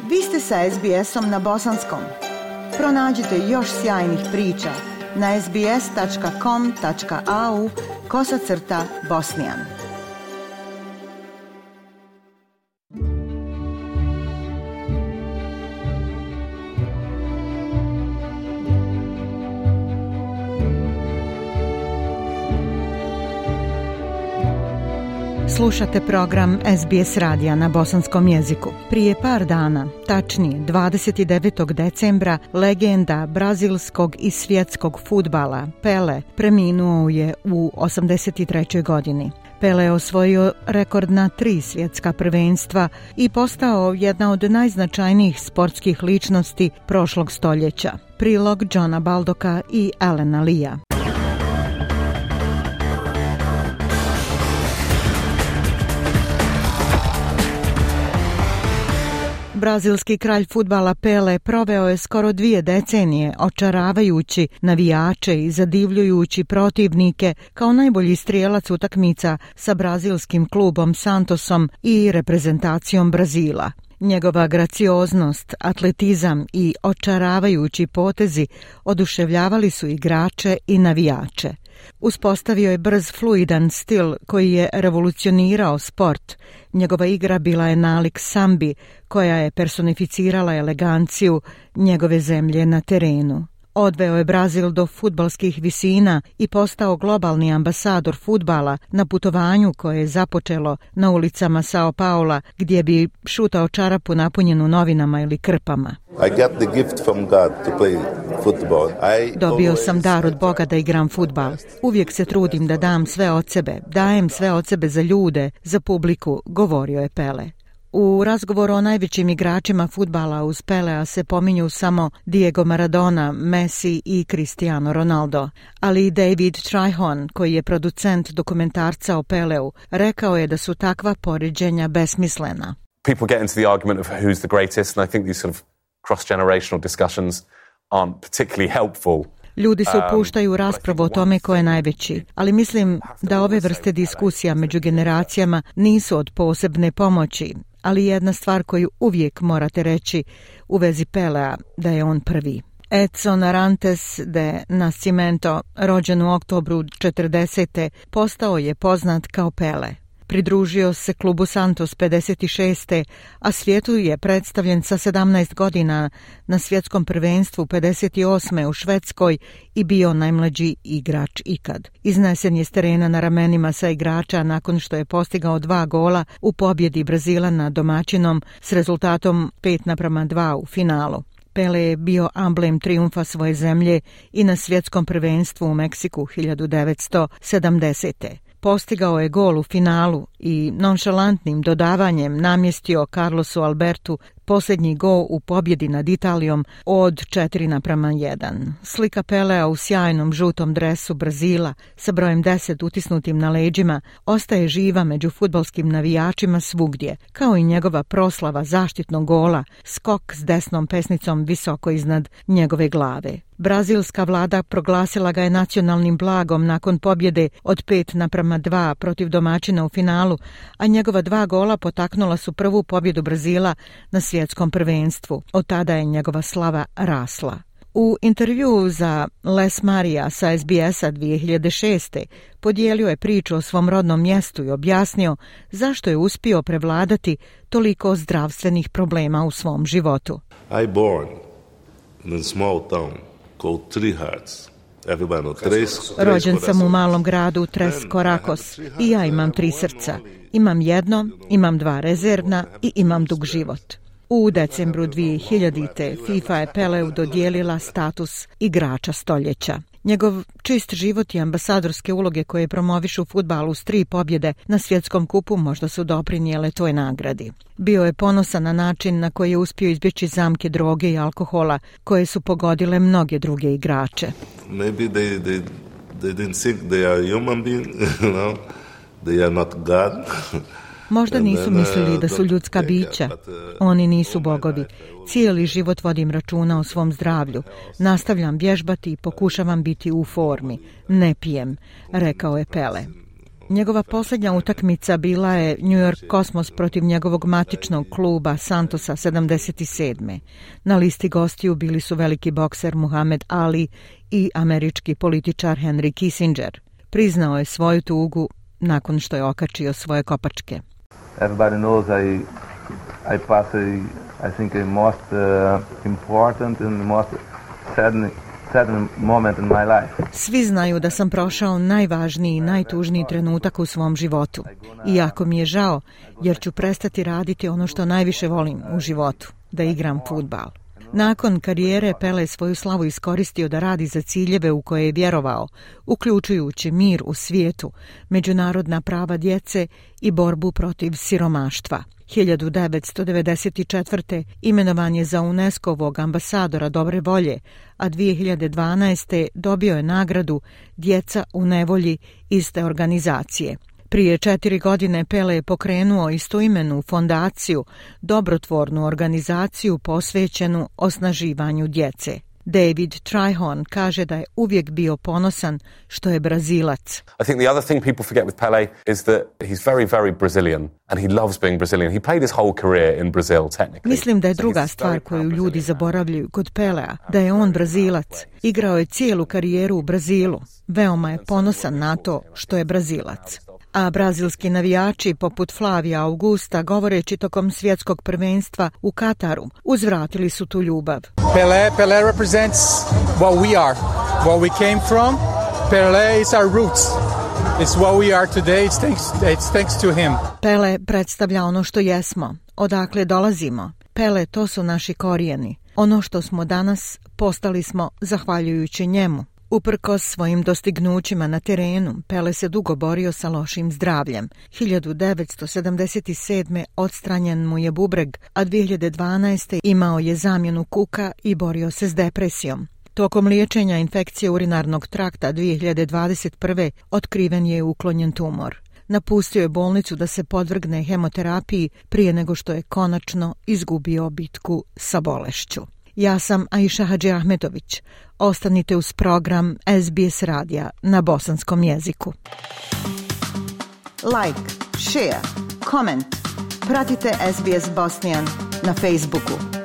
Vi ste sa SBS-om na bosanskom. Pronađite još sjajnih priča na sbs.com.au/bosnian. Slušate program SBS radija na bosanskom jeziku. Prije par dana, tačnije 29. decembra, legenda brazilskog i svjetskog fudbala Pele preminuo je u 83. godini. Pele je osvojio rekordna 3 svjetska prvenstva i postao jedna od najznačajnijih sportskih ličnosti prošlog stoljeća. Prilog Johna Baldocka i Alana Lia. Brazilski kralj fudbala Pele proveo je skoro 2 decenije očaravajući navijače i zadivljujući protivnike kao najbolji strijelac utakmica sa brazilskim klubom Santosom i reprezentacijom Brazila. Njegova gracioznost, atletizam i očaravajući potezi oduševljavali su igrače i navijače. Uspostavio je brz, fluidan stil koji je revolucionirao sport. Njegova igra bila je nalik sambi, koja je personificirala eleganciju njegove zemlje na terenu. Odveo je Brazil do fudbalskih visina i postao globalni ambasador fudbala na putovanju koje je započelo na ulicama Sao Paula, gdje bi šutao čarapu napunjenu novinama ili krpama. Dobio sam dar od Boga da igram fudbal. Uvijek se trudim da dam sve od sebe, dajem sve od sebe za ljude, za publiku, govorio je Pele. U razgovoru o najvećim igračima fudbala uz Pelea se pominju samo Diego Maradona, Messi i Cristiano Ronaldo. Ali i David Trihon, koji je producent dokumentarca o Peleu, rekao je da su takva poređenja besmislena. People get into the argument of who's the greatest, and I think these sort of cross-generational discussions aren't particularly helpful. Ljudi se upuštaju u raspravu o tome ko je najveći, ali mislim da ove vrste diskusija među generacijama nisu od posebne pomoći. Ali jedna stvar koju uvijek morate reći u vezi Pelea, da je on prvi. Edson Arantes de Nascimento, rođen u oktobru 40. postao je poznat kao Pele. Pridružio se klubu Santos 56. a svijetu je predstavljen sa 17 godina na svjetskom prvenstvu 58. u Švedskoj i bio najmlađi igrač ikad. Iznesen je s terena na ramenima sa igrača nakon što je postigao 2 gola u pobjedi Brazila nad domaćinom s rezultatom 5:2 u finalu. Pele je bio amblem trijumfa svoje zemlje i na svjetskom prvenstvu u Meksiku 1970. Postigao je gol u finalu i nonšalantnim dodavanjem namjestio Carlosu Albertu posljednji gol u pobjedi nad Italijom od 4:1. Slika Pelea u sjajnom žutom dresu Brazila sa brojem 10 utisnutim na leđima ostaje živa među fudbalskim navijačima svugdje, kao i njegova proslava zaštitnog gola, skok s desnom pesnicom visoko iznad njegove glave. Brazilska vlada proglasila ga je nacionalnim blagom nakon pobjede od 5:2 protiv domaćina u finalu, a njegova 2 gola potaknula su prvu pobjedu Brazila na svjetskom prvenstvu. Od tada je njegova slava rasla. U intervjuu za Les Maria sa SBS-a 2006. podijelio je priču o svom rodnom mjestu i objasnio zašto je uspio prevladati toliko zdravstvenih problema u svom životu. I born in a small town called Three Hearts. Rođen sam u malom gradu Tres Coracoes i ja imam 3 srca. Imam jedno, imam 2 rezervna i imam dug život. U decembru 2000. FIFA je Peleu dodijelila status igrača stoljeća. Njegov čist život i ambasadorske uloge koje promovišu fudbalu s 3 pobjede na svjetskom kupu možda su doprinijele toj nagradi. Bio je ponosan na način na koji je uspio izbjeći zamke droge i alkohola koje su pogodile mnoge druge igrače. Maybe they didn't think they are human being, you know? They are not God. Možda nisu mislili da su ljudska bića. Oni nisu bogovi. Cijeli život vodim računa o svom zdravlju. Nastavljam vježbati i pokušavam biti u formi. Ne pijem, rekao je Pele. Njegova posljednja utakmica bila je New York Cosmos protiv njegovog matičnog kluba Santosa 77. Na listi gostiju bili su veliki bokser Muhammad Ali i američki političar Henry Kissinger. Priznao je svoju tugu nakon što je okačio svoje kopačke. Everybody knows I pass I think a most important and most saddening moment in my life. Svi znaju da sam prošao najvažniji i najtužniji trenutak u svom životu. I jako mi je žao, jer ću prestati raditi ono što najviše volim u životu, da igram fudbal. Nakon karijere Pele svoju slavu iskoristio da radi za ciljeve u koje je vjerovao, uključujući mir u svijetu, međunarodna prava djece i borbu protiv siromaštva. 1994. imenovan je za UNESCO-vog ambasadora dobre volje, a 2012. dobio je nagradu Djeca u nevolji iste organizacije. Prije 4 godine Pele je pokrenuo istoimenu fondaciju, dobrotvornu organizaciju posvećenu osnaživanju djece. David Trihorn kaže da je uvijek bio ponosan što je Brazilac. I think the other thing people forget with Pelé is that he's very, very Brazilian and he loves being Brazilian. He played his whole career in Brazil, technically. Mislim da je druga stvar koju ljudi zaboravljaju kod Pelea, da je on Brazilac. Igrao je cijelu karijeru u Brazilu. Veoma je ponosan na to što je Brazilac. A brazilski navijači poput Flavija Augusta, govoreći tokom svjetskog prvenstva u Kataru, uzvratili su tu ljubav. Pelé represents what we are, what we came from. Pelé is our roots. It's what we are today. It's thanks to him. Pele predstavlja ono što jesmo, odakle dolazimo. Pele, to su naši korijeni. Ono što smo danas, postali smo zahvaljujući njemu. Uprkos svojim dostignućima na terenu, Pele se dugo borio sa lošim zdravljem. 1977. odstranjen mu je bubreg, a 2012. imao je zamjenu kuka i borio se s depresijom. Tokom liječenja infekcije urinarnog trakta 2021. otkriven je uklonjen tumor. Napustio je bolnicu da se podvrgne hemoterapiji prije nego što je konačno izgubio bitku sa bolešću. Ja sam Aisha Hadžiahmetović. Ostanite uz program SBS radija na bosanskom jeziku. Like, share, comment. Pratite SBS Bosnian na Facebooku.